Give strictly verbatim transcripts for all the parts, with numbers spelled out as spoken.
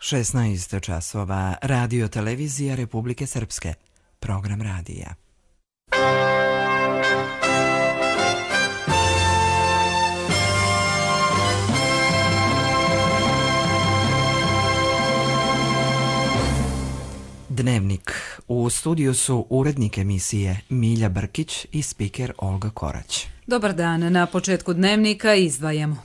šesnaest časova, Radio Televizija Republike Srpske, program radija. Dnevnik. U studiju su urednik emisije Milja Brkić i spiker Olga Korać. Dobar dan, na početku Dnevnika izdvajamo.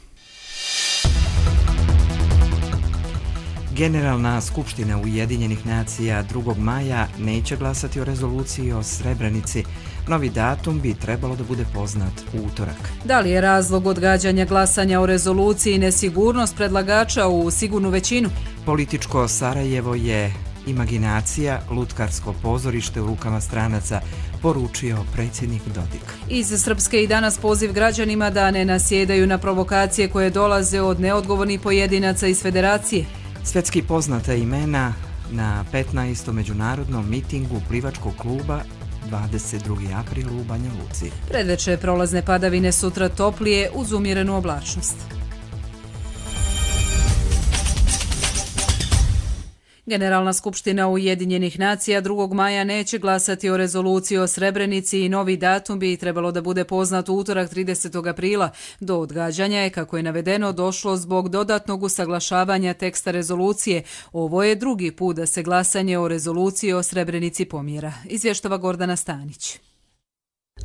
Generalna skupština Ujedinjenih nacija drugog maja neće glasati o rezoluciji o Srebrenici. Novi datum bi trebalo da bude poznat u utorak. Da li je razlog odgađanja glasanja o rezoluciji nesigurnost predlagača u sigurnu većinu? Političko Sarajevo je imaginacija, lutkarsko pozorište u rukama stranaca, poručio predsjednik Dodik. Iz Srpske i danas poziv građanima da ne nasjedaju na provokacije koje dolaze od neodgovornih pojedinaca iz Federacije. Svjetski poznata imena na petnaestom međunarodnom mitingu plivačkog kluba dvadeset drugi april u Banja Luci. Predveče prolazne padavine, sutra toplije uz umjerenu oblačnost. Generalna skupština Ujedinjenih nacija drugog maja neće glasati o rezoluciji o Srebrenici i novi datum bi trebalo da bude poznat u utorak tridesetog aprila. Do odgađanja je, kako je navedeno, došlo zbog dodatnog usaglašavanja teksta rezolucije. Ovo je drugi put da se glasanje o rezoluciji o Srebrenici pomjera. Izvještava Gordana Stanić.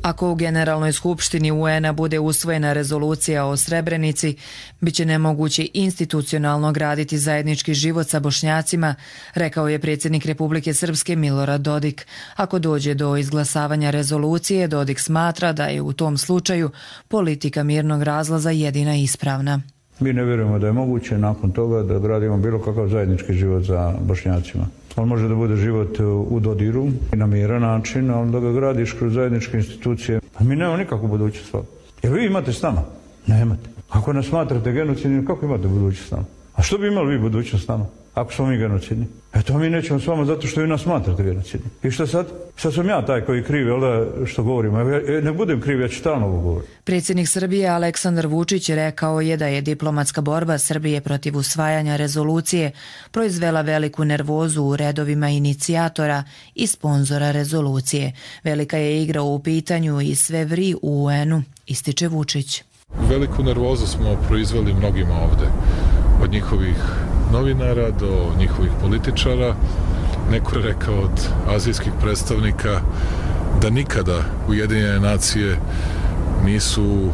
Ako u Generalnoj skupštini U N-a bude usvojena rezolucija o Srebrenici, bit će nemoguće institucionalno graditi zajednički život sa Bošnjacima, rekao je predsjednik Republike Srpske Milorad Dodik. Ako dođe do izglasavanja rezolucije, Dodik smatra da je u tom slučaju politika mirnog razlaza jedina ispravna. Mi ne vjerujemo da je moguće nakon toga da gradimo bilo kakav zajednički život za Bošnjacima. On može da bude život u dodiru i na miran način, ali da ga gradiš kroz zajedničke institucije. A mi nemamo nikakvu budućnost. Jer vi imate s nama? Nemate. Ako nas smatrate genocidnim, kako imate budućnost s nama? A što bi imali vi budućnost s nama, ako smo mi genocidni? Eto, mi nećemo s vama zato što vi nas smatrate genocidni. I što sad? Sad sam ja taj koji krivi, ali što govorimo. Ja ne budem kriv, ja ću stalno ovo govoriti. Predsjednik Srbije Aleksandar Vučić rekao je da je diplomatska borba Srbije protiv usvajanja rezolucije proizvela veliku nervozu u redovima inicijatora i sponzora rezolucije. Velika je igra u pitanju i sve vri u U N-u, ističe Vučić. Veliku nervozu smo proizveli mnogima ovde. Od njihovih novinara do njihovih političara. Neko je rekao od azijskih predstavnika da nikada Ujedinjene nacije nisu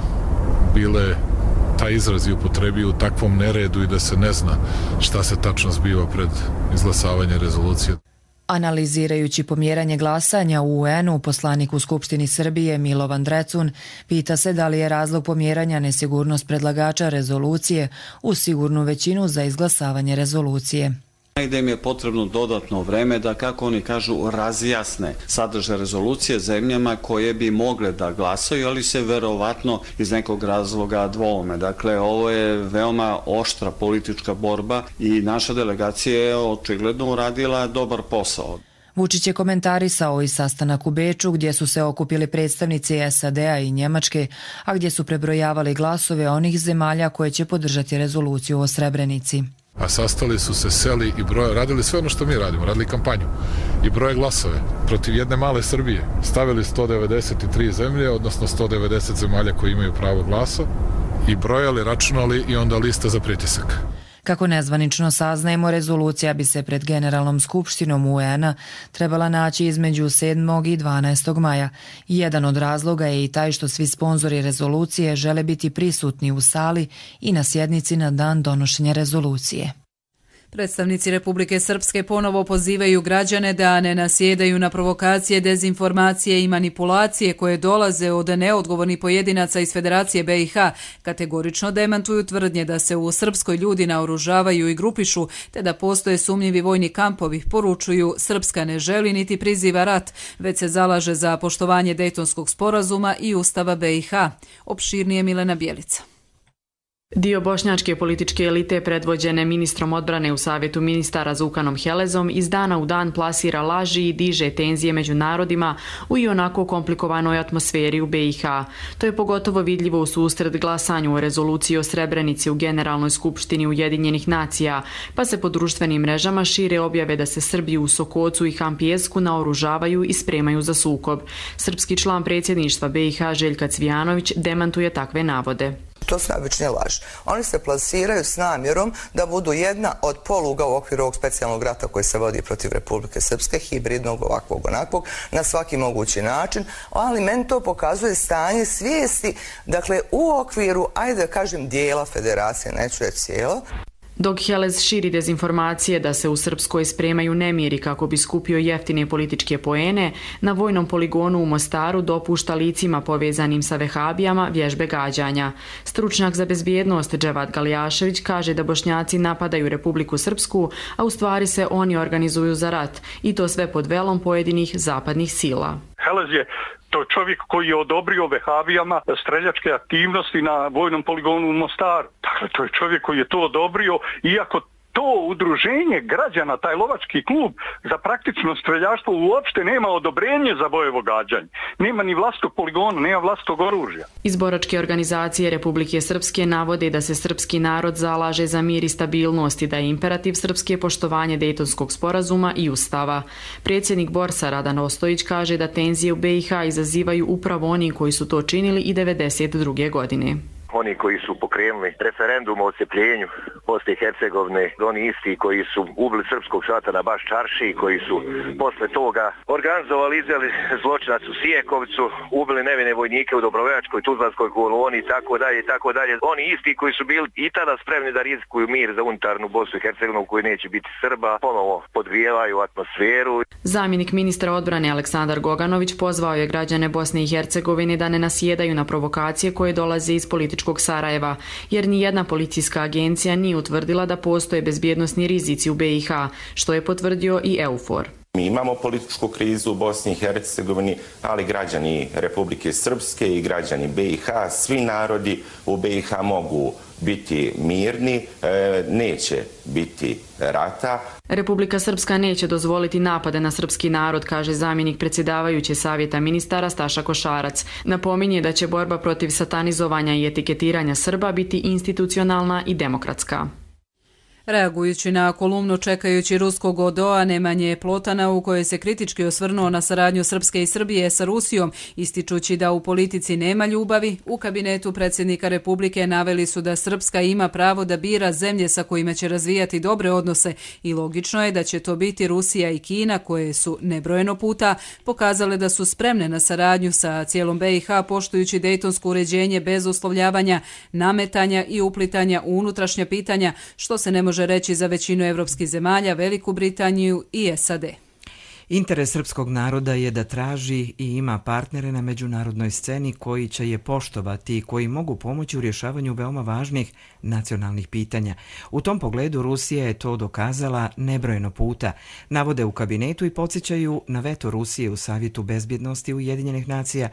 bile taj izraz i upotrebio u takvom neredu i da se ne zna šta se tačno zbiva pred izglasavanje rezolucije. Analizirajući pomjeranje glasanja u U N-u, poslanik u Skupštini Srbije Milovan Drecun pita se da li je razlog pomjeranja nesigurnost predlagača rezolucije u sigurnu većinu za izglasavanje rezolucije. Gde im je potrebno dodatno vreme da, kako oni kažu, razjasne sadržaj rezolucije zemljama koje bi mogle da glasaju, ali se verovatno iz nekog razloga dvoume. Dakle, ovo je veoma oštra politička borba i naša delegacija je očigledno uradila dobar posao. Vučić je komentarisao i sastanak u Beču gdje su se okupili predstavnici S A D-a i Njemačke, a gdje su prebrojavali glasove onih zemalja koje će podržati rezoluciju o Srebrenici. A sastali su se, seli i broje, radili sve ono što mi radimo, radili kampanju i broje glasove protiv jedne male Srbije. Stavili sto devedeset tri zemlje, odnosno sto devedeset zemalja koji imaju pravo glasa i brojali, računali i onda lista za pritisak. Kako nezvanično saznajemo, rezolucija bi se pred Generalnom skupštinom U N-a trebala naći između sedmog i dvanaestog maja. Jedan od razloga je i taj što svi sponzori rezolucije žele biti prisutni u sali i na sjednici na dan donošenja rezolucije. Predstavnici Republike Srpske ponovo pozivaju građane da ne nasjedaju na provokacije, dezinformacije i manipulacije koje dolaze od neodgovornih pojedinaca iz Federacije B i H. Kategorično demantuju tvrdnje da se u Srpskoj ljudi naoružavaju i grupišu, te da postoje sumnjivi vojni kampovi. Poručuju, Srpska ne želi niti priziva rat, već se zalaže za poštovanje Dejtonskog sporazuma i Ustava B i H. Opširnije Milena Bjelica. Dio bošnjačke političke elite predvođene ministrom odbrane u Savjetu ministara Zukanom Helezom iz dana u dan plasira laži i diže tenzije među narodima u i onako komplikovanoj atmosferi u B i H. To je pogotovo vidljivo u susret glasanju o rezoluciji o Srebrenici u Generalnoj skupštini Ujedinjenih nacija, pa se po društvenim mrežama šire objave da se Srbi u Sokocu i Hampijesku naoružavaju i spremaju za sukob. Srpski član predsjedništva B i H Željka Cvijanović demantuje takve navode. To su najobičnije laži. Oni se plasiraju s namjerom da budu jedna od poluga u okviru ovog specijalnog rata koji se vodi protiv Republike Srpske, hibridnog, ovakvog, onakvog, na svaki mogući način, ali meni to pokazuje stanje svijesti, dakle, u okviru, ajde da kažem, dijela federacije, neću reći cijelo. Dok Helez širi dezinformacije da se u Srpskoj spremaju nemiri kako bi skupio jeftine političke poene, na vojnom poligonu u Mostaru dopušta licima povezanim sa vehabijama vježbe gađanja. Stručnjak za bezbjednost Dževad Galijašević kaže da Bošnjaci napadaju Republiku Srpsku, a u stvari se oni organizuju za rat, i to sve pod velom pojedinih zapadnih sila. Helez je to čovjek koji je odobrio vehabijama streljačke aktivnosti na vojnom poligonu u Mostaru. Dakle, to je čovjek koji je to odobrio, iako to udruženje građana, taj lovački klub za praktično streljaštvo uopšte nema odobrenje za bojevo gađanje. Nema ni vlastog poligona, nema vlastog oružja. Iz boračke organizacije Republike Srpske navode da se srpski narod zalaže za mir i stabilnost i da je imperativ Srpske poštovanje Dejtonskog sporazuma i ustava. Predsjednik Borsa Radan Ostojić kaže da tenzije u B i H izazivaju upravo oni koji su to činili i devedeset druge godine. Oni koji su pokrenuli referendum o odcepljenju Bosne i Hercegovine, oni isti koji su ubili srpskog satana baš Čarši, koji su posle toga organizovali, izveli zločinac u Sijekovcu, ubili nevine vojnike u Dobrovoljačkoj, Tuzlanskoj koloni i tako dalje, tako dalje. Oni isti koji su bili i tada spremni da rizikuju mir za unitarnu Bosnu i Hercegovinu koji neće biti Srba, ponovo podgrijevaju atmosferu. Zamjenik ministra odbrane Aleksandar Goganović pozvao je građane Bosne i Hercegovine da ne nasjedaju na provokacije koje dolaze iz političkog Sarajeva, jer ni jedna policijska agencija nije utvrdila da postoje bezbjednosni rizici u B i H, što je potvrdio i EUFOR. Mi imamo političku krizu u Bosni i Hercegovini, ali građani Republike Srpske i građani B i H, svi narodi u B i H mogu biti mirni, neće biti rata. Republika Srpska neće dozvoliti napade na srpski narod, kaže zamjenik predsjedavajuće Savjeta ministara Staša Košarac. Napominje da će borba protiv satanizovanja i etiketiranja Srba biti institucionalna i demokratska. Reagujući na kolumnu čekajući ruskog O D O-a Nemanje Plotana u kojoj se kritički osvrnuo na saradnju Srpske i Srbije sa Rusijom, ističući da u politici nema ljubavi, u kabinetu predsjednika Republike naveli su da Srpska ima pravo da bira zemlje sa kojima će razvijati dobre odnose i logično je da će to biti Rusija i Kina koje su nebrojeno puta pokazale da su spremne na saradnju sa cijelom B i H poštujući dejtonsko uređenje bez uslovljavanja, nametanja i uplitanja u unutrašnja pitanja, što se ne može reći za većinu evropskih zemalja, Veliku Britaniju i S A D. Interes srpskog naroda je da traži i ima partnere na međunarodnoj sceni koji će je poštovati i koji mogu pomoći u rješavanju veoma važnih nacionalnih pitanja. U tom pogledu Rusija je to dokazala nebrojeno puta. Navode u kabinetu i podsjećaju na veto Rusije u Savjetu bezbjednosti Ujedinjenih nacija,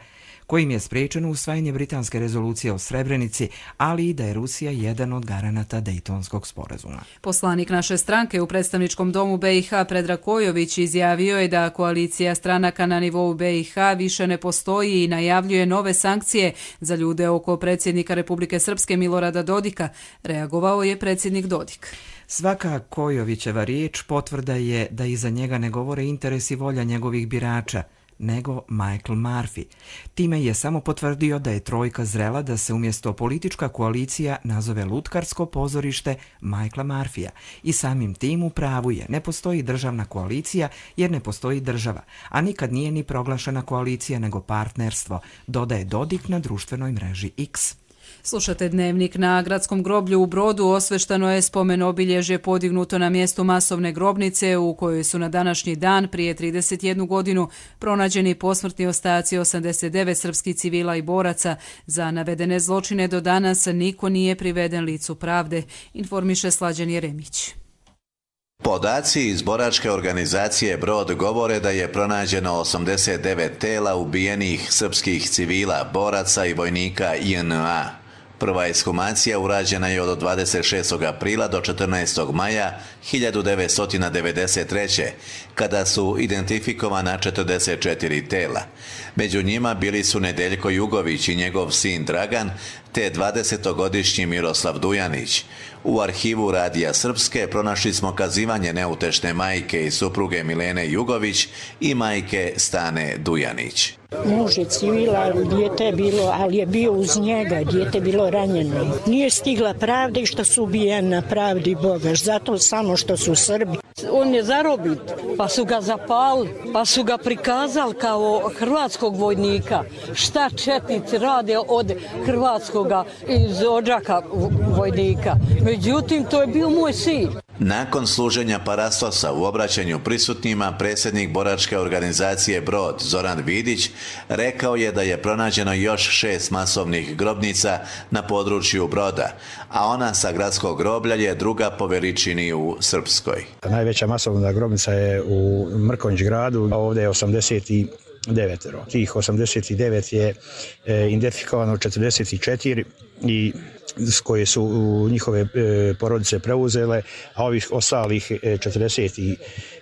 kojim je spriječeno usvajanje britanske rezolucije o Srebrenici, ali i da je Rusija jedan od garanata Dejtonskog sporazuma. Poslanik naše stranke u predstavničkom domu B i H Predrag Kojović izjavio je da koalicija stranaka na nivou B i H više ne postoji i najavljuje nove sankcije za ljude oko predsjednika Republike Srpske Milorada Dodika. Reagovao je predsjednik Dodik. Svaka Kojovićeva riječ potvrda je da iza njega ne govore interes i volja njegovih birača, nego Michael Murphy. Time je samo potvrdio da je trojka zrela da se umjesto politička koalicija nazove lutkarsko pozorište Michaela Murphyja. I samim tim u pravu je, ne postoji državna koalicija jer ne postoji država, a nikad nije ni proglašena koalicija nego partnerstvo, dodaje Dodik na društvenoj mreži X. Slušate Dnevnik. Na gradskom groblju u Brodu osveštano je spomen obilježje podignuto na mjestu masovne grobnice u kojoj su na današnji dan prije trideset jednu godinu pronađeni posmrtni ostaci osamdeset devet srpskih civila i boraca. Za navedene zločine do danas niko nije priveden licu pravde, informiše Slađan Jeremić. Podaci iz boračke organizacije Brod govore da je pronađeno osamdeset devet tela ubijenih srpskih civila, boraca i vojnika I N A. Prva ekshumacija urađena je od dvadeset šestog aprila do četrnaestog maja hiljadu devetsto devedeset treće. kada su identifikovana četrdeset četiri tela. Među njima bili su Nedeljko Jugović i njegov sin Dragan, te dvadesetogodišnji Miroslav Dujanić. U arhivu Radija Srpske pronašli smo kazivanje neutešne majke i supruge Milene Jugović i majke Stane Dujanić. Muž je civila, dijete je bilo, ali je bio uz njega, dijete je bilo ranjeno. Nije stigla pravda i što su ubijeni na pravdi Boga, zato samo što su Srbi. On je zarobit, pa su ga zapali, pa su ga prikazali kao hrvatskog vojnika. Šta četnici rade od hrvatskoga iz Odžaka vojnika. Međutim, to je bio moj sin. Nakon služenja parastosa u obraćanju prisutnima, predsjednik boračke organizacije Brod, Zoran Vidić, rekao je da je pronađeno još šest masovnih grobnica na području Broda, a ona sa gradskog groblja je druga po veličini u Srpskoj. Najveća masovna grobnica je u Mrkonjić gradu, a ovdje je osamdeset devet. Tih osamdeset devet je identifikovano četrdeset četiri i koje su njihove porodice preuzele, a ovih ostalih četrdeset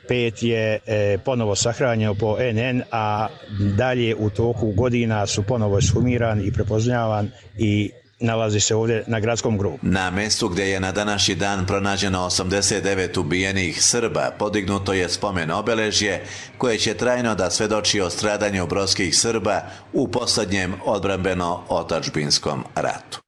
pet je ponovo sahranjeno po en en, a dalje u toku godina su ponovo ekshumiran i prepoznavan i nalazi se ovdje na gradskom grobu. Na mjestu gdje je na današnji dan pronađeno osamdeset devet ubijenih Srba podignuto je spomen obeležje koje će trajno da svedoči o stradanju brodskih Srba u posljednjem odbrambeno-otadžbinskom ratu.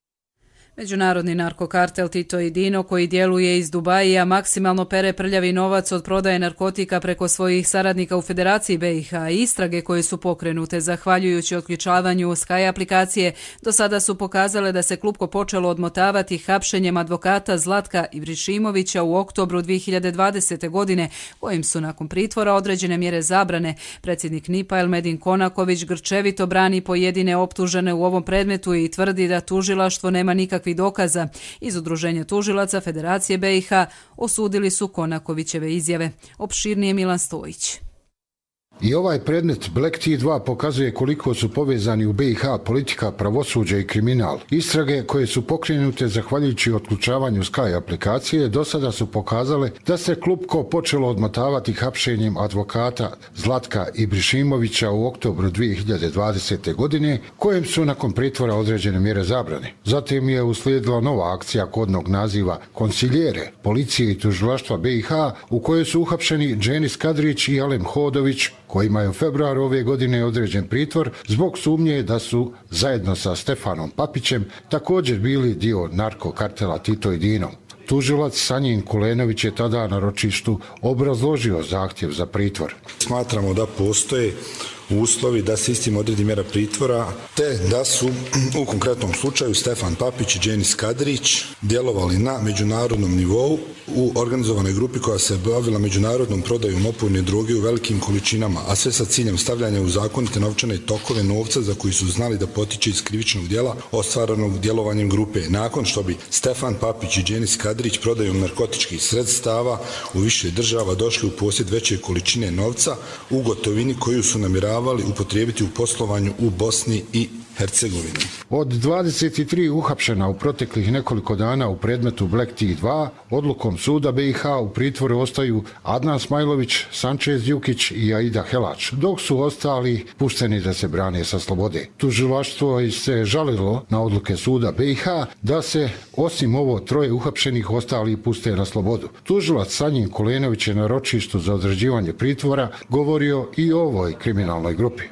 Međunarodni narkokartel Tito i Dino, koji djeluje iz Dubaija, maksimalno pere prljavi novac od prodaje narkotika preko svojih saradnika u Federaciji be i ha. Istrage koje su pokrenute zahvaljujući otključavanju Sky aplikacije do sada su pokazale da se klupko počelo odmotavati hapšenjem advokata Zlatka Ibrišimovića u oktobru dvije hiljade dvadesete. godine, kojim su nakon pritvora određene mjere zabrane. Predsjednik en i pe-a Elmedin Konaković grčevito brani pojedine optužene u ovom predmetu i tvrdi da tužilaštvo nema nikakvih dokaza. Iz Udruženja tužilaca Federacije be i ha osudili su Konakovićeve izjave. Opširnije Milan Stojić. I ovaj predmet Black T dva pokazuje koliko su povezani u be i ha politika, pravosuđe i kriminal. Istrage koje su pokrenute zahvaljujući otključavanju Sky aplikacije do sada su pokazale da se klupko počelo odmotavati hapšenjem advokata Zlatka Ibrišimovića u oktobru dvije hiljade dvadesete. godine, kojem su nakon pritvora određene mjere zabrane. Zatim je uslijedila nova akcija kodnog naziva Konsiljere policije i tužilaštva be i ha u kojoj su uhapšeni Dženis Kadrić i Alen Hodović, kojima je u februaru ove godine određen pritvor zbog sumnje da su zajedno sa Stefanom Papićem također bili dio narkokartela Tito i Dino. Tužilac Sanjin Kulenović je tada na ročištu obrazložio zahtjev za pritvor. Smatramo da postoje uslovi da se istim odredi mjera pritvora, te da su u konkretnom slučaju Stefan Papić i Dženis Kadrić djelovali na međunarodnom nivou u organizovanoj grupi koja se bavila međunarodnom prodajom opojne droge u velikim količinama, a sve sa ciljem stavljanja u zakonite novčane tokove novca za koji su znali da potiče iz krivičnog djela ostvarenog djelovanjem grupe. Nakon što bi Stefan Papić i Dženis Kadrić prodajom narkotičkih sredstava u više država došli u posjed veće količine novca u gotovini koju su namjeravali upotrijebiti u poslovanju u Bosni i Hercegovini. Od dvadeset tri uhapšena u proteklih nekoliko dana u predmetu Black T dva, odlukom suda be i ha u pritvoru ostaju Adnan Smajlović, Sančez Jukić i Aida Helač, dok su ostali pušteni da se brane sa slobode. Tužilaštvo se žalilo na odluke suda be i ha da se osim ovo troje uhapšenih ostali puste na slobodu. Tužilac Sanjin Kulenović je na ročištu za određivanje pritvora govorio i o ovoj kriminalnoj grupi.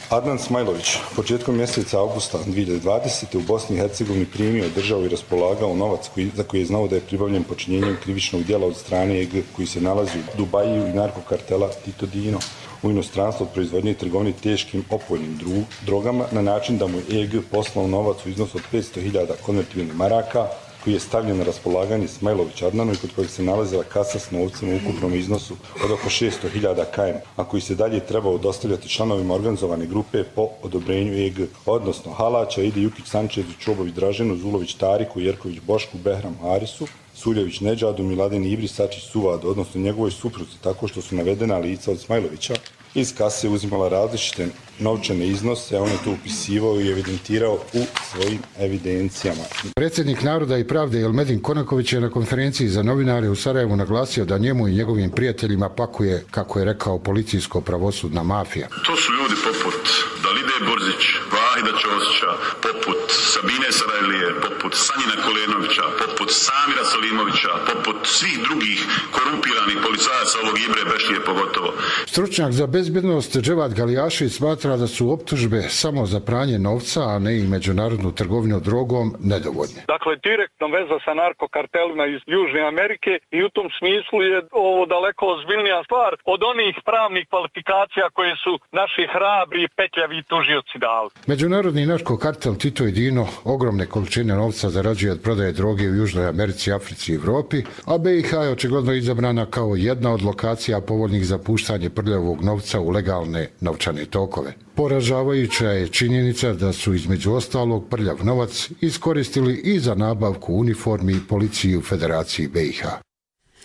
Adnan Smajlović početkom mjeseca augusta dvije hiljade dvadesete. u Bosni i Hercegovini primio, držao i raspolagao novac koji, za koji je znao da je pribavljen počinjenjem krivičnog djela od strane e ge koji se nalazi u Dubaju i narkokartela Tito Dino u inostranstvu od proizvodnje i trgovine teškim opojnim drogama na način da mu je e ge poslao novac u iznosu od petsto hiljada konvertibilnih maraka koji je stavljen na raspolaganje Smajlović Adnanu i kod kojeg se nalazila kasa s novcem u ukupnom iznosu od oko šesto hiljada ka em, a koji se dalje trebao dostavljati članovima organizovane grupe po odobrenju e ge, odnosno Halača, Idi Jukić, Sančezu, Čobovi Draženu, Zulović Tariku, Jerković Bošku, Behram Harisu, Suljević Nedžadu, Miladin Ibris Sačić Suvado, odnosno njegovoj supruzi, tako što su navedena lica od Smajlovića iz kase uzimala različite novčane iznose, a on je to upisivao i evidentirao u svojim evidencijama. Predsjednik Naroda i pravde Jelmedin Konaković je na konferenciji za novinare u Sarajevu naglasio da njemu i njegovim prijateljima pakuje, kako je rekao, policijsko-pravosudna mafija. To su ljudi poput Dalide Borzić, Vahida Ćosića, poput Sabine Sarajlije, poput Sanjina Kolenovića, poput Samira Salimovića, poput svih drugih korumpiranih policajaca ovog Ibre Bešlije pogotovo. Stručnjak za bezbednost Dževad Galijašić smatra da su optužbe samo za pranje novca, a ne i međunarodnu trgovinu drogom, nedovoljne. Dakle, direktno veza sa narkokartelima iz Južne Amerike i u tom smislu je ovo daleko ozbiljnija stvar od onih pravnih kvalifikacija koje su naši hrabri i petljavi tužioci dali. Međunarodni narkokartel Tito i Dino ogromne količine novca zarađuje od prodaje droge u Južnoj Americi, Africi i Evropi, a B i H je očigledno izabrana kao jedna od lokacija povoljnih za puštanje prljavog novca u legalne novčane tokove. Poražavajuća je činjenica da su između ostalog prljav novac iskoristili i za nabavku uniformi policiji u Federaciji B i H.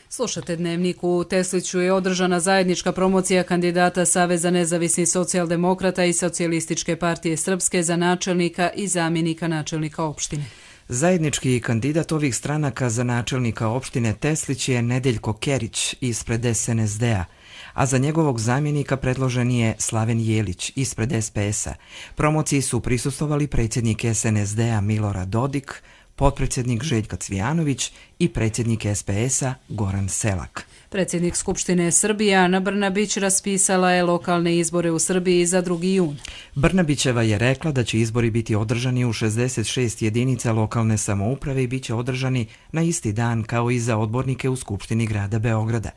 Slušate Dnevnik. U Tesliću je održana zajednička promocija kandidata Saveza nezavisnih socijaldemokrata i Socijalističke partije Srpske za načelnika i zamjenika načelnika opštine. Zajednički kandidat ovih stranaka za načelnika opštine Teslić je Nedeljko Kerić ispred S N S D-a, a za njegovog zamjenika predložen je Slaven Jelić ispred S P S-a. Promociji su prisustvovali predsjednik S N S D-a Milorad Dodik, potpredsjednik Željka Cvijanović i predsjednik S P S-a Goran Selak. Predsjednik Skupštine Srbije Ana Brnabić raspisala je lokalne izbore u Srbiji za drugi jun. Brnabićeva je rekla da će izbori biti održani u šezdeset šest jedinica lokalne samouprave i bit će održani na isti dan kao i za odbornike u Skupštini grada Beograda.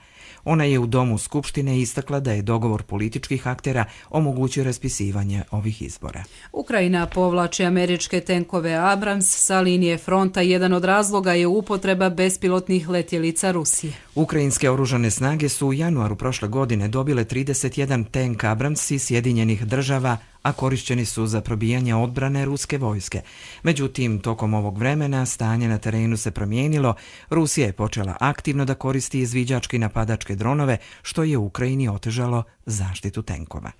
Ona je u Domu Skupštine istakla da je dogovor političkih aktera omogućio raspisivanje ovih izbora. Ukrajina povlači američke tenkove Abrams sa linije fronta. Jedan od razloga je upotreba bespilotnih letjelica Rusije. Ukrajinske oružane snage su u januaru prošle godine dobile trideset jedan tenk Abrams iz Sjedinjenih država, a korišćeni su za probijanje odbrane ruske vojske. Međutim, tokom ovog vremena stanje na terenu se promijenilo. Rusija je počela aktivno da koristi izviđačke i napadačke dronove, što je Ukrajini otežalo zaštitu tenkova.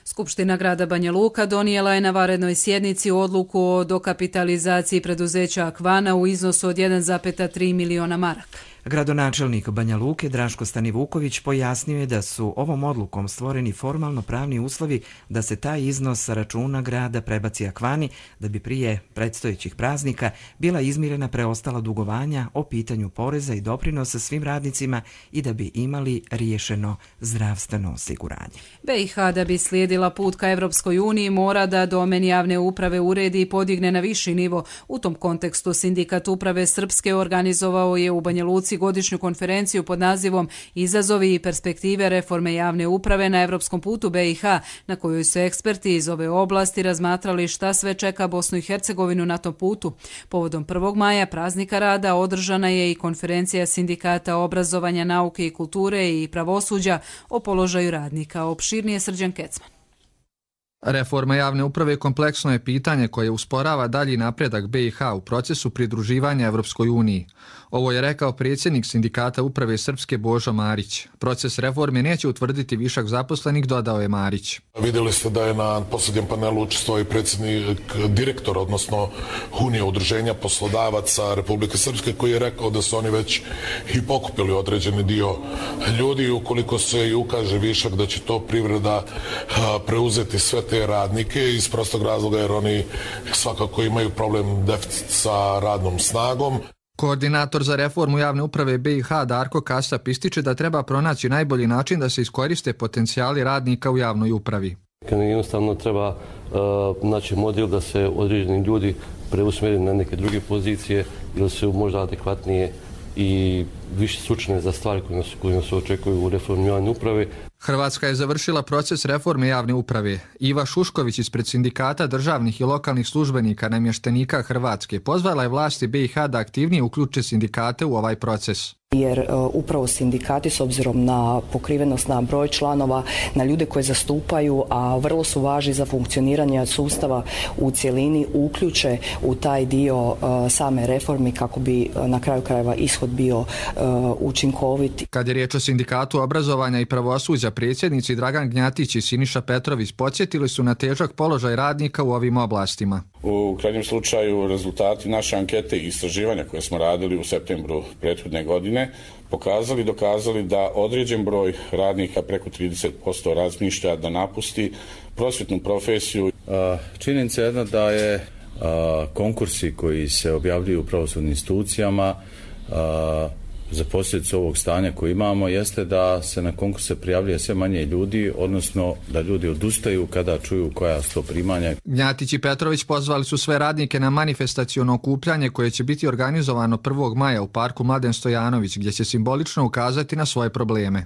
Skupština grada Banja Luka donijela je na vanrednoj sjednici odluku o dokapitalizaciji preduzeća Akvana u iznosu od jedan zarez tri miliona maraka. Gradonačelnik Banja Luke Draško Stanivuković pojasnio je da su ovom odlukom stvoreni formalno pravni uslovi da se taj iznos sa računa grada prebaci Akvani, da bi prije predstojećih praznika bila izmirena preostala dugovanja o pitanju poreza i doprinosa svim radnicima i da bi imali riješeno zdravstveno osiguranje. B i H da bi slijedila put ka Evropskoj uniji mora da domen javne uprave uredi i podigne na viši nivo. U tom kontekstu Sindikat uprave Srpske organizovao je u Banja Luci godišnju konferenciju pod nazivom Izazovi i perspektive reforme javne uprave na evropskom putu B i H, na kojoj su eksperti iz ove oblasti razmatrali šta sve čeka Bosnu i Hercegovinu na tom putu. Povodom prvog maja, praznika rada, održana je i konferencija Sindikata obrazovanja, nauke i kulture i pravosuđa o položaju radnika. Opširnije Srđan Kecman. Reforma javne uprave kompleksno je pitanje koje usporava dalji napredak B i H u procesu pridruživanja Evropskoj uniji. Ovo je rekao predsjednik Sindikata uprave Srpske Božo Marić. Proces reforme neće utvrditi višak zaposlenih, dodao je Marić. Vidjeli ste da je na posljednjem panelu učestvovao i predsjednik direktor, odnosno Unije udruženja poslodavaca Republike Srpske, koji je rekao da su oni već i pokupili određeni dio ljudi. Ukoliko se i ukaže višak, da će to privreda preuzeti sve te radnike iz prostog razloga jer oni svakako imaju problem deficit sa radnom snagom. Koordinator za reformu javne uprave B i H Darko Kasap ističe da treba pronaći najbolji način da se iskoriste potencijali radnika u javnoj upravi. Jednostavno treba uh, naći model da se određeni ljudi preusmjeri na neke druge pozicije ili se možda adekvatnije i više sučne za stvari koje nas, koje nas očekuju u reformi javne uprave. Hrvatska je završila proces reforme javne uprave. Iva Šušković ispred Sindikata državnih i lokalnih službenika namještenika Hrvatske pozvala je vlasti B i H da aktivnije uključe sindikate u ovaj proces. Jer uh, upravo sindikati s obzirom na pokrivenost, na broj članova, na ljude koje zastupaju, a vrlo su važni za funkcioniranje sustava u cjelini, uključe u taj dio uh, same reformi kako bi uh, na kraju krajeva ishod bio uh, učinkovit. Kad je riječ o Sindikatu obrazovanja i pravosuđa, predsjednici Dragan Gnjatić i Siniša Petrović podsjetili su na težak položaj radnika u ovim oblastima. U krajnjem slučaju rezultati naše ankete i istraživanja koje smo radili u septembru prethodne godine pokazali, dokazali da određen broj radnika, preko trideset posto, razmišlja da napusti prosvjetnu profesiju. Činjenica je jedna da je konkursi koji se objavljuju u pravosudnim institucijama za posljedicu ovog stanja koje imamo jeste da se na konkurse prijavljuje sve manje ljudi, odnosno da ljudi odustaju kada čuju koja su to primanja. Gnjatić i Petrović pozvali su sve radnike na manifestaciono okupljanje koje će biti organizovano prvog maja u parku Mladen Stojanović, gdje će simbolično ukazati na svoje probleme.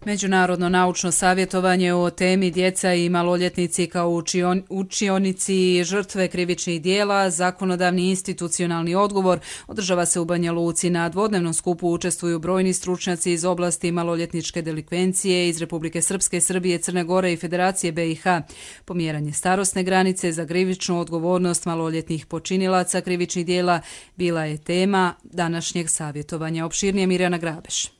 Međunarodno naučno savjetovanje o temi djeca i maloljetnici kao učion, učionici žrtve krivičnih dijela, zakonodavni institucionalni odgovor održava se u Banja Luci. Na dvodnevnom skupu učestvuju brojni stručnjaci iz oblasti maloljetničke delikvencije iz Republike Srpske, Srbije, Crne Gore i Federacije B i H. Pomjeranje starosne granice za krivičnu odgovornost maloljetnih počinilaca krivičnih dijela bila je tema današnjeg savjetovanja. Opširnije Mirjana Grabeš.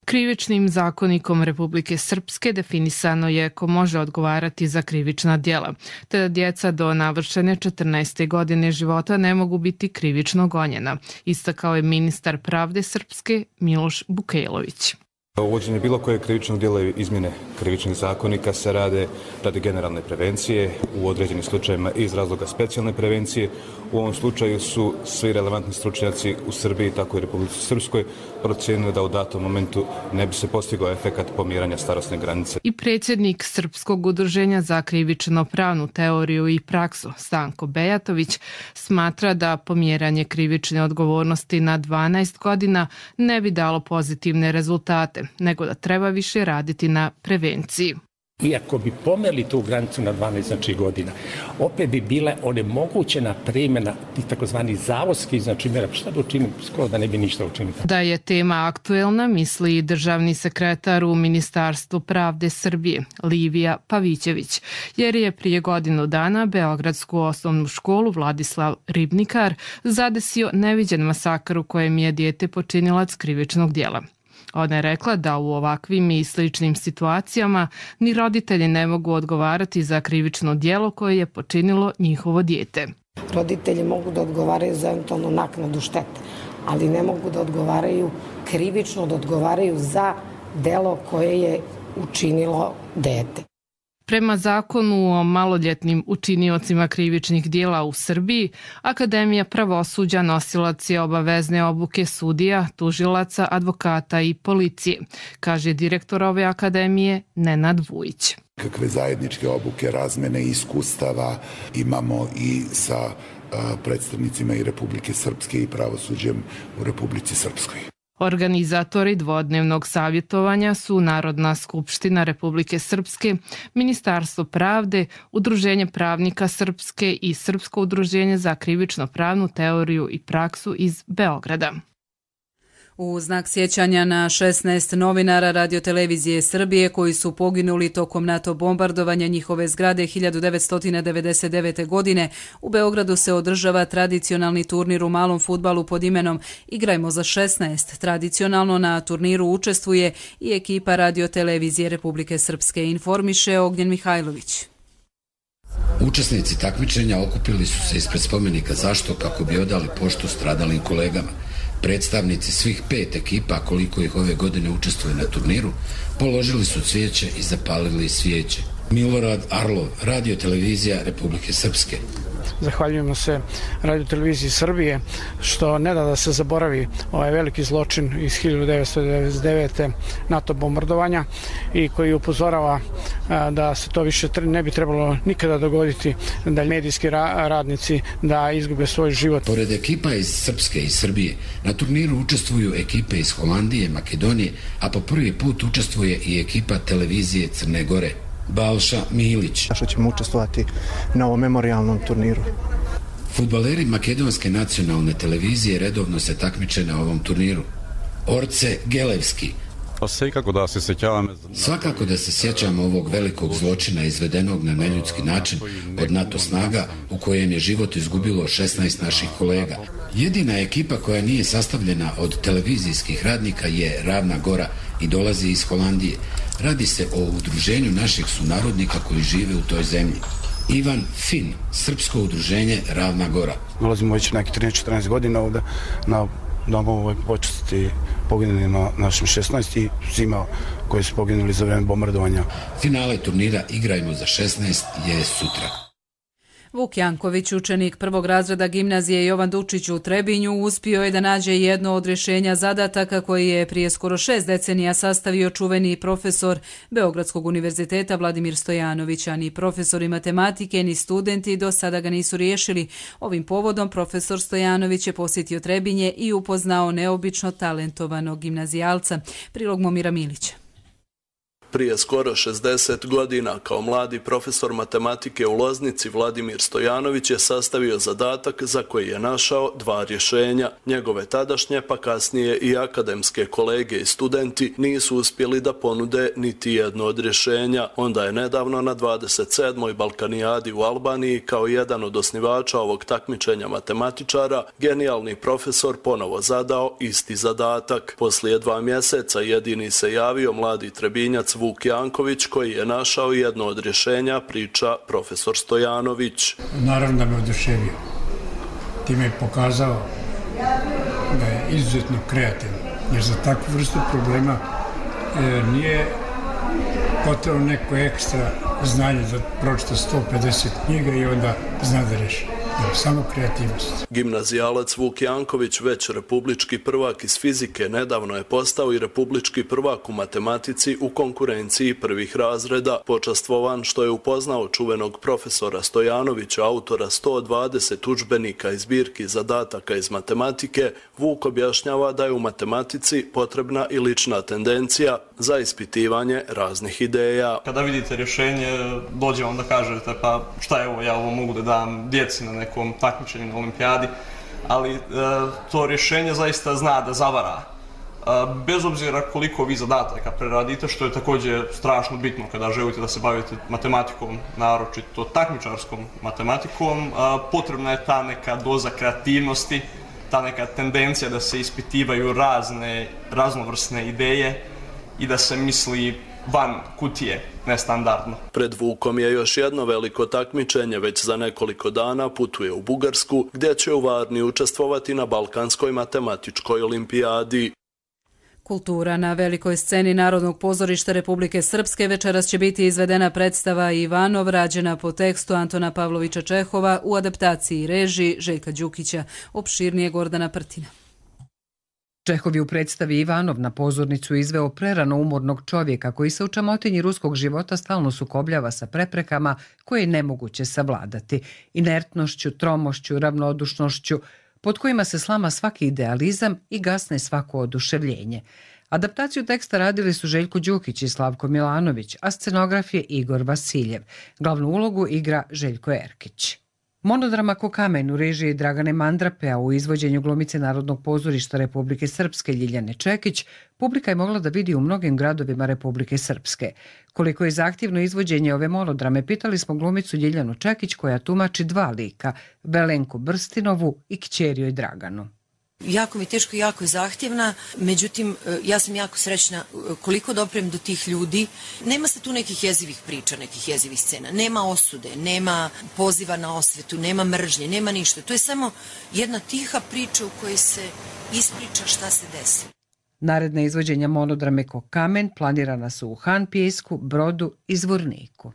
Krivičnim zakonikom Republike Srpske definisano je ko može odgovarati za krivična djela, te da djeca do navršene četrnaeste godine života ne mogu biti krivično gonjena, istakao je ministar pravde Srpske Miloš Bukejlović. Uvođenje bilo koje krivičnog djela i izmjene krivičnih zakonika se rade radi generalne prevencije, u određenim slučajevima iz razloga specijalne prevencije. U ovom slučaju su svi relevantni stručnjaci u Srbiji, tako i Republici Srpskoj, procijenili da u datom momentu ne bi se postigao efekat pomjeranja starosne granice. I predsjednik Srpskog udruženja za krivično pravnu teoriju i praksu Stanko Bejatović smatra da pomjeranje krivične odgovornosti na dvanaest godina ne bi dalo pozitivne rezultate, nego da treba više raditi na prevenciji. Iako bi pomeli tu granicu na dvanaest znači, godina, opet bi bile onemogućena primjena tih takozvani zavodskih znači mjera. Šta da učinim? Skoro da ne bi ništa učinili. Da je tema aktuelna, misli i državni sekretar u Ministarstvu pravde Srbije, Livija Pavićević, jer je prije godinu dana Beogradsku osnovnu školu Vladislav Ribnikar zadesio neviđen masakr u kojem je dijete počinilac krivičnog djela. Ona je rekla da u ovakvim i sličnim situacijama ni roditelji ne mogu odgovarati za krivično djelo koje je počinilo njihovo dijete. Roditelji mogu da odgovaraju za eventualnu naknadu štete, ali ne mogu da odgovaraju krivično, da odgovaraju za delo koje je učinilo dete. Prema zakonu o maloljetnim učiniocima krivičnih dijela u Srbiji, Akademija pravosuđa nosilac je obavezne obuke sudija, tužilaca, advokata i policije, kaže direktor ove akademije Nenad Vujić. Kakve zajedničke obuke, razmene iskustava imamo i sa predstavnicima i Republike Srpske i pravosuđem u Republici Srpskoj. Organizatori dvodnevnog savjetovanja su Narodna skupština Republike Srpske, Ministarstvo pravde, Udruženje pravnika Srpske i Srpsko udruženje za krivično pravnu teoriju i praksu iz Beograda. U znak sjećanja na šesnaest novinara radiotelevizije Srbije koji su poginuli tokom NATO bombardovanja njihove zgrade hiljadu devetsto devedeset devete. godine, u Beogradu se održava tradicionalni turnir u malom fudbalu pod imenom Igrajmo za šesnaest. Tradicionalno na turniru učestvuje i ekipa radiotelevizije Republike Srpske, informiše Ognjen Mihajlović. Učesnici takmičenja okupili su se ispred spomenika Zašto kako bi odali poštu stradalim kolegama. Predstavnici svih pet ekipa, koliko ih ove godine učestvuje na turniru, položili su cvijeće i zapalili svijeće. Milorad Arlov, radiotelevizija Republike Srpske. Zahvaljujemo se Radio Televiziji Srbije što ne da da se zaboravi ovaj veliki zločin iz hiljadu devetsto devedeset devete NATO bombardovanja i koji upozorava da se to više ne bi trebalo nikada dogoditi, da medijski radnici da izgube svoj život. Pored ekipa iz Srpske i Srbije, na turniru učestvuju ekipe iz Holandije, Makedonije, a po prvi put učestvuje i ekipa televizije Crne Gore. Balša Milić. Što ćemo učestvovati na ovom memorialnom turniru. Fudbaleri makedonske nacionalne televizije redovno se takmiče na ovom turniru. Orce Gelevski. Svakako da se sjećamo ovog velikog zločina izvedenog na neljudski način od NATO snaga u kojem je život izgubilo šesnaest naših kolega. Jedina ekipa koja nije sastavljena od televizijskih radnika je Ravna Gora i dolazi iz Holandije. Radi se o udruženju naših sunarodnika koji žive u toj zemlji. Ivan Fin, srpsko udruženje Ravna Gora. Dolazimo već neki trinaest četrnaest godina ovdje na domu počasti poginulima našim šesnaest i svima koji su poginuli za vreme bombardovanja. Finale turnira Igrajmo za šesnaest je sutra. Vuk Janković, učenik prvog razreda gimnazije Jovan Dučić u Trebinju, uspio je da nađe jedno od rješenja zadataka koji je prije skoro šest decenija sastavio čuveni profesor Beogradskog univerziteta Vladimir Stojanović, a ni profesori matematike ni studenti do sada ga nisu riješili. Ovim povodom profesor Stojanović je posjetio Trebinje i upoznao neobično talentovanog gimnazijalca. Prilog Momira Milića. Prije skoro šezdeset godina, kao mladi profesor matematike u Loznici, Vladimir Stojanović je sastavio zadatak za koji je našao dva rješenja. Njegove tadašnje, pa kasnije i akademske kolege i studenti nisu uspjeli da ponude niti jedno od rješenja. Onda je nedavno na dvadeset sedmoj Balkanijadi u Albaniji, kao jedan od osnivača ovog takmičenja matematičara, genijalni profesor ponovo zadao isti zadatak. Poslije dva mjeseca jedini se javio mladi Trebinjac Vuk Janković, koji je našao jedno od rješenja, priča profesor Stojanović. Naravno da me oduševio. Time je pokazao da je izuzetno kreativan, jer za takvu vrstu problema e, nije potrebno neko ekstra znanje da pročita sto pedeset knjiga i onda zna da reši. Samo kreativnost. Gimnazijalac Vuk Janković, već republički prvak iz fizike, nedavno je postao i republički prvak u matematici u konkurenciji prvih razreda. Počastvovan što je upoznao čuvenog profesora Stojanovića, autora sto dvadeset udžbenika i zbirki zadataka iz matematike, Vuk objašnjava da je u matematici potrebna i lična tendencija za ispitivanje raznih ideja. Kada vidite rješenje, dođe vam da kažete pa šta je ovo, ja ovo mogu da dam djeci na nekom takmičenju na olimpijadi, ali e, to rješenje zaista zna da zavara. E, bez obzira koliko vi zadataka preradite, što je također strašno bitno kada želite da se bavite matematikom, naročito takmičarskom matematikom, e, potrebna je ta neka doza kreativnosti, ta neka tendencija da se ispitivaju razne, raznovrsne ideje i da se misli van kutije, nestandardno. Pred Vukom je još jedno veliko takmičenje, već za nekoliko dana putuje u Bugarsku, gdje će u Varni učestvovati na Balkanskoj matematičkoj olimpijadi. Kultura. Na velikoj sceni Narodnog pozorišta Republike Srpske večeras će biti izvedena predstava Ivanov, rađena po tekstu Antona Pavlovića Čehova u adaptaciji i režiji Željka Đukića. Opširnije Gordana Prtina. Čehov je u predstavi Ivanov na pozornicu izveo prerano umornog čovjeka koji se u čamotinji ruskog života stalno sukobljava sa preprekama koje je nemoguće savladati, inertnošću, tromošću, ravnodušnošću, pod kojima se slama svaki idealizam i gasne svako oduševljenje. Adaptaciju teksta radili su Željko Đukić i Slavko Milanović, a scenograf je Igor Vasiljev. Glavnu ulogu igra Željko Erkić. Monodrama Ko kamen u režiji Dragane Mandrape, a u izvođenju glumice Narodnog pozorišta Republike Srpske Ljiljane Čekić, publika je mogla da vidi u mnogim gradovima Republike Srpske. Koliko je zahtjevno izvođenje ove monodrame, pitali smo glumicu Ljiljanu Čekić, koja tumači dva lika, Velenku Brstinovu i kćeri joj Draganu. Jako mi je teško i jako je zahtjevna, međutim ja sam jako srećna koliko doprem do tih ljudi. Nema se tu nekih jezivih priča, nekih jezivih scena, nema osude, nema poziva na osvetu, nema mržnje, nema ništa. To je samo jedna tiha priča u kojoj se ispriča šta se desi. Naredna izvođenja monodrame Ko kamen planirana su u Han Pijesku, Brodu i Zvorniku.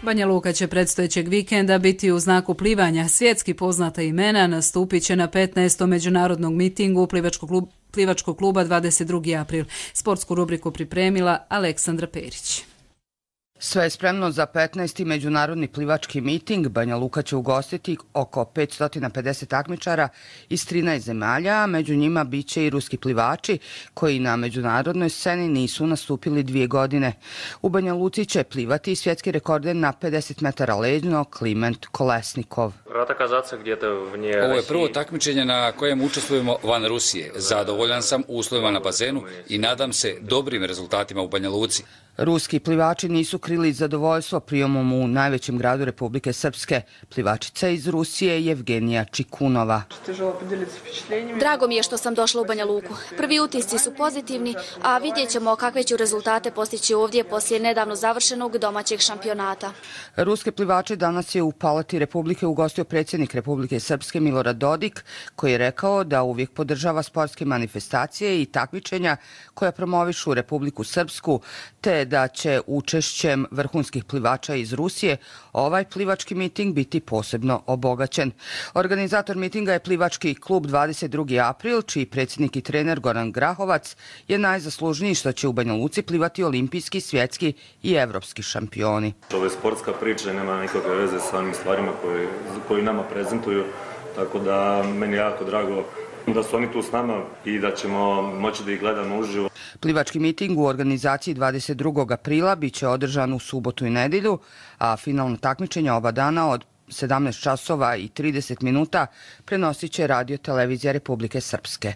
Banja Luka će predstojećeg vikenda biti u znaku plivanja. Svjetski poznata imena nastupit će na petnaestom međunarodnog mitingu plivačkog kluba, plivačkog kluba dvadeset drugi april. Sportsku rubriku pripremila Aleksandra Perić. Sve je spremno za petnaesti međunarodni plivački miting. Banja Luka će ugostiti oko petsto pedeset takmičara iz trinaest zemalja, a među njima biće i ruski plivači koji na međunarodnoj sceni nisu nastupili dvije godine. U Banja Luci će plivati svjetski rekorder na pedeset metara leđno Kliment Kolesnikov. Ovo je prvo takmičenje na kojem učestvujemo van Rusije. Zadovoljan sam uslovima na bazenu i nadam se dobrim rezultatima u Banja Luci. Ruski plivači nisu krili zadovoljstvo prijemom u najvećem gradu Republike Srpske. Plivačica iz Rusije Evgenija Čikunova. Drago mi je što sam došla u Banja Luku. Prvi utisci su pozitivni, a vidjet ćemo kakve ću rezultate postići ovdje poslije nedavno završenog domaćeg šampionata. Ruske plivače danas je u Palati Republike ugostio predsjednik Republike Srpske Milorad Dodik, koji je rekao da uvijek podržava sportske manifestacije i takmičenja koja promovišu Republiku Srpsku, te da će učešćem vrhunskih plivača iz Rusije ovaj plivački miting biti posebno obogaćen. Organizator mitinga je plivački klub dvadeset drugi april, čiji predsjednik i trener Goran Grahovac je najzaslužniji što će u Banja Luci plivati olimpijski, svjetski i evropski šampioni. Ovo je sportska priča i nema nikakve veze sa onim stvarima koje, koje nama prezentuju, tako da meni je jako drago da su oni tu s nama i da ćemo moći da ih gledamo uživo. Plivački miting u organizaciji dvadeset drugog aprila bit će održan u subotu i nedjelju, a finalno takmičenje oba dana od sedamnaest časova i trideset minuta prenosit će Radio televizija Republike Srpske.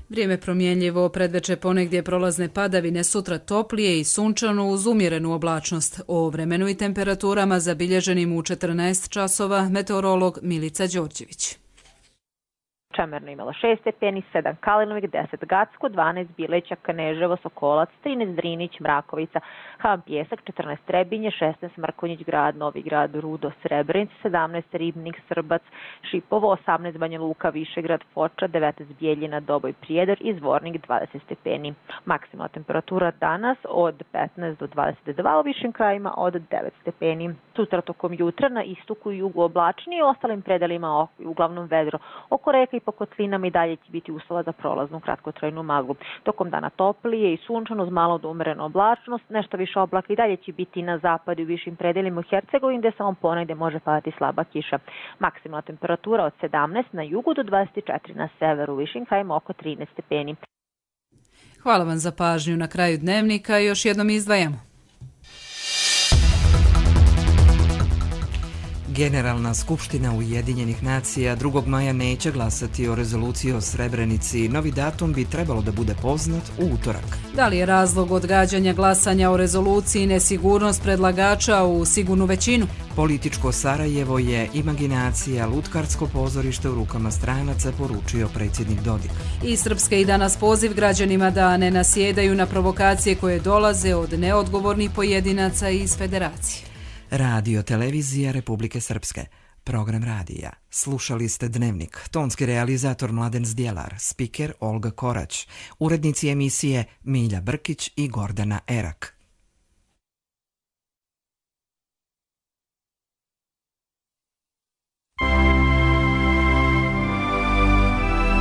Vrijeme promjenljivo, predveče ponegdje prolazne padavine, sutra toplije i sunčano uz umjerenu oblačnost. O vremenu i temperaturama zabilježenim u četrnaest časova meteorolog Milica Đorđević. Čemerno imalo šest stepeni, sedam Kalinovik, deset Gacko, dvanaest Bileća, Kneževo, Sokolac, trinaest Drinić, Mrakovica, Ham Pjesak, četrnaest Trebinje, šesnaest Mrkonjić Grad, Novi Grad, Rudo, Srebrenic, sedamnaest Ribnik, Srbac, Šipovo, osamnaest Banja Luka, Višegrad, Foča, devetnaest Bijeljina, Doboj, Prijedor i Zvornik dvadeset stepeni. Maksimalna temperatura danas od petnaest do dvadeset dva, u višim krajima od devet stepeni. Sutra tokom jutra na istoku i jugu oblačni i ostalim predelima uglavnom vedro. Oko reka i po kotlinama i dalje će biti uslova za prolaznu kratkotrajnu maglu. Tokom dana toplije i sunčano uz malo do umerenu oblačnost, nešto više oblaka i dalje će biti na zapadu i višim predelima u Hercegovini gdje samo ponegdje može padati slaba kiša. Maksimalna temperatura od sedamnaest na jugu do dvadeset četiri na severu, u višim krajima oko trinaest stepeni. Hvala vam za pažnju. Na kraju dnevnika još jednom izdvajamo. Generalna skupština Ujedinjenih nacija drugog maja neće glasati o rezoluciji o Srebrenici. Novi datum bi trebalo da bude poznat u utorak. Da li je razlog odgađanja glasanja o rezoluciji nesigurnost predlagača u sigurnu većinu? Političko Sarajevo je imaginacija, lutkarsko pozorište u rukama stranaca, poručio predsjednik Dodik. I Srpske i danas poziv građanima da ne nasjedaju na provokacije koje dolaze od neodgovornih pojedinaca iz federacije. Radio televizija Republike Srpske. Program radija. Slušali ste Dnevnik. Tonski realizator Mladen Zdjelar. Spiker Olga Korać. Urednici emisije Milja Brkić i Gordana Erak.